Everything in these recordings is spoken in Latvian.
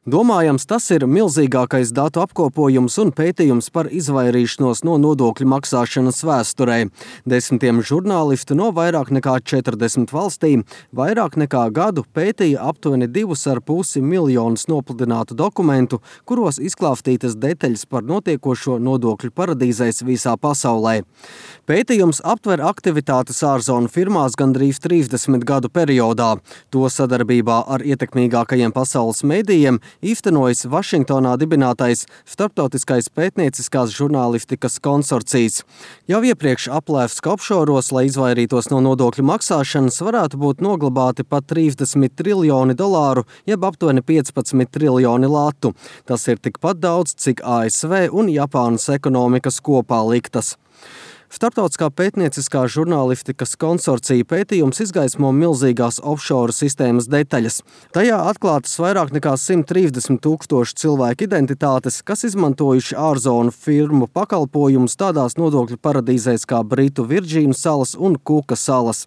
Domājams, tas ir milzīgākais datu apkopojums un pētījums par izvairīšanos no nodokļu maksāšanas vēsturē. Desmitiem žurnālistu no vairāk nekā 40 valstīm vairāk nekā gadu pētīja aptuveni 2,5 miljonus nopludinātu dokumentu, kuros izklāstītas detaļas par notiekošo nodokļu paradīzēs visā pasaulē. Pētījums aptver aktivitātes ārzonu firmās gandrīz 30 gadu periodā. To sadarbībā ar ietekmīgākajiem pasaules medijiem īstenojas Vašingtonā dibinātais starptautiskais pētnieciskās žurnālistikas konsorcijs. Jau iepriekš aplēsts, ka offšoros, lai izvairītos no nodokļu maksāšanas, varētu būt noglabāti pat 30 triljoni dolāru, jeb aptuveni 15 triljoni latu. Tas ir tikpat daudz, cik ASV un Japānas ekonomikas kopā liktas. Starptautiskā pētnieciskā žurnālistikas konsorcija pētījums izgaismo milzīgās offshore sistēmas detaļas. Tajā atklātas vairāk nekā 130 000 cilvēku identitātes, kas izmantojuši ārzonu firmu pakalpojumus tādās nodokļu paradīzēs kā Britu Virģīnu salas un Kuka salas.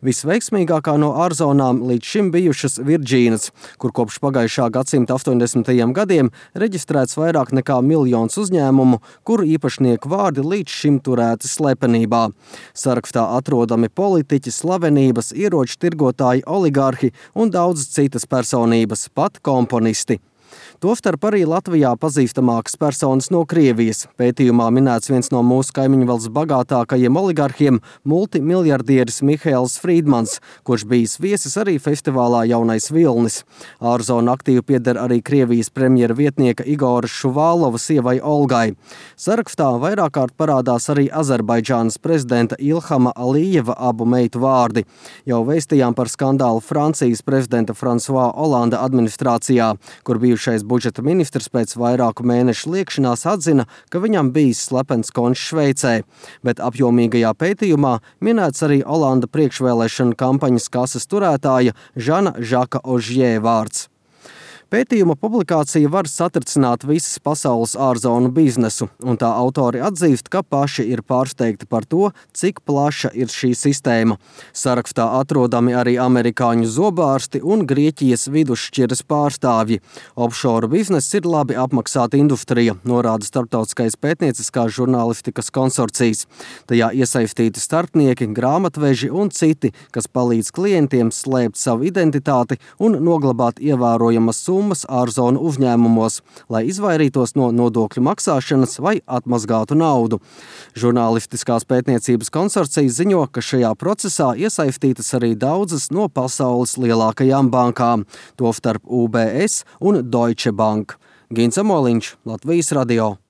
Visveiksmīgākā no ārzonām līdz šim bijušas Virģīnas, kur kopš pagājušā gadsimta 80. gadiem reģistrēts vairāk nekā 1 miljons uzņēmumu, kuru īpašnieku vārdi līdz šim turēti slepenībā. Sarakstā atrodami politiķi, slavenības, ieroču tirgotāji, oligārhi un daudz citas personības, pat komponisti. Tostarp arī Latvijā pazīstamākas personas no Krievijas. Pētījumā minēts viens no mūsu kaimiņu valsts bagātākajiem oligarhiem – multimiljardieris Mihails Frīdmans, kurš bijis viesis arī festivālā Jaunais Vilnis. Ārzonu aktīvi pieder arī Krievijas premjera vietnieka Igora Šuvālova sievai Olgai. Sarakstā vairāk kārt parādās arī Azerbaidžānas prezidenta Ilhama Alijeva abu meitu vārdi. Jau vēstījām par skandālu Francijas prezidenta François Hollanda administrācijā, kur bijušais budžeta ministrs pēc vairāku mēnešu liekšanās atzina, ka viņam bijis slepens konts Šveicē, bet apjomīgajā pētījumā minēts arī Hollanda priekšvēlēšanu kampaņas kases turētāja Žana Žaka Ožjē vārds. Pētījuma publikācija var satricināt visas pasaules ārzonu biznesu, un tā autori atzīst, ka paši ir pārsteigti par to, cik plaša ir šī sistēma. Sarakstā atrodami arī amerikāņu zobārsti un Grieķijas vidusšķiras pārstāvji. Offshore bizness ir labi apmaksāta industrija, norāda starptautiskais pētnieciskās žurnālistikas konsorcijs. Tajā iesaistīti starpnieki, grāmatveži un citi, kas palīdz klientiem slēpt savu identitāti un noglabāt ievērojamas summas ārzonu uzņēmumos, lai izvairītos no nodokļu maksāšanas vai atmazgātu naudu. Žurnālistiskās pētniecības konsorcijas ziņo, ka šajā procesā iesaistītas arī daudzas no pasaules lielākajām bankām, tostarp UBS un Deutsche Bank. Gins Amoliņš, Latvijas radio.